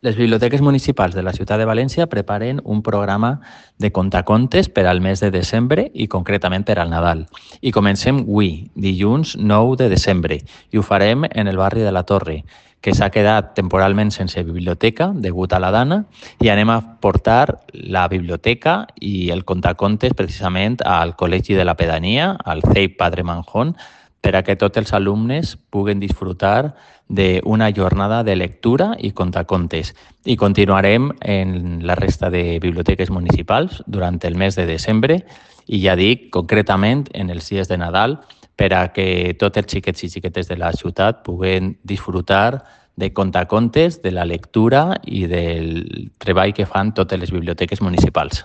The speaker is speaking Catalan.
Les biblioteques municipals de la ciutat de València preparen un programa de contacontes per al mes de desembre i concretament per al Nadal. I comencem avui, dilluns 9 de desembre, i ho farem en el barri de la Torre, que s'ha quedat temporalment sense biblioteca degut a la dana, i anem a portar la biblioteca i el contacontes precisament al Col·legi de la Pedania, al CEIP Padre Manjón, per a que tots els alumnes puguen disfrutar d'una jornada de lectura i contacontes. I continuarem en la resta de biblioteques municipals durant el mes de desembre i ja dic, concretament en els dies de Nadal, per a que tots els xiquets i xiquetes de la ciutat puguen disfrutar de contacontes, de la lectura i del treball que fan totes les biblioteques municipals.